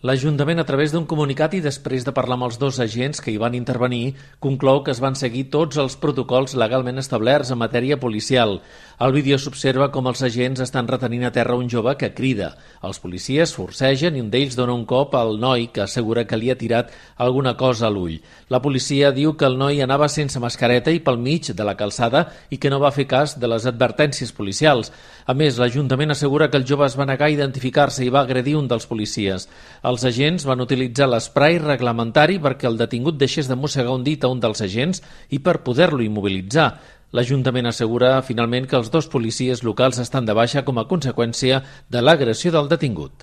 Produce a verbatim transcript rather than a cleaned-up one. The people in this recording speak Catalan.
L'Ajuntament, a través d'un comunicat i després de parlar amb els dos agents que hi van intervenir, conclou que es van seguir tots els protocols legalment establerts en matèria policial. Al vídeo s'observa com els agents estan retenint a terra un jove que crida. Els policies forcegen i un d'ells dona un cop al noi, que assegura que li ha tirat alguna cosa a l'ull. La policia diu que el noi anava sense mascareta i pel mig de la calçada i que no va fer cas de les advertències policials. A més, l'Ajuntament assegura que el jove es va negar a identificar-se i va agredir un dels policies. Els agents van utilitzar l'esprai reglamentari perquè el detingut deixés de mossegar un dit a un dels agents i per poder-lo immobilitzar. L'Ajuntament assegura finalment que els dos policies locals estan de baixa com a conseqüència de l'agressió del detingut.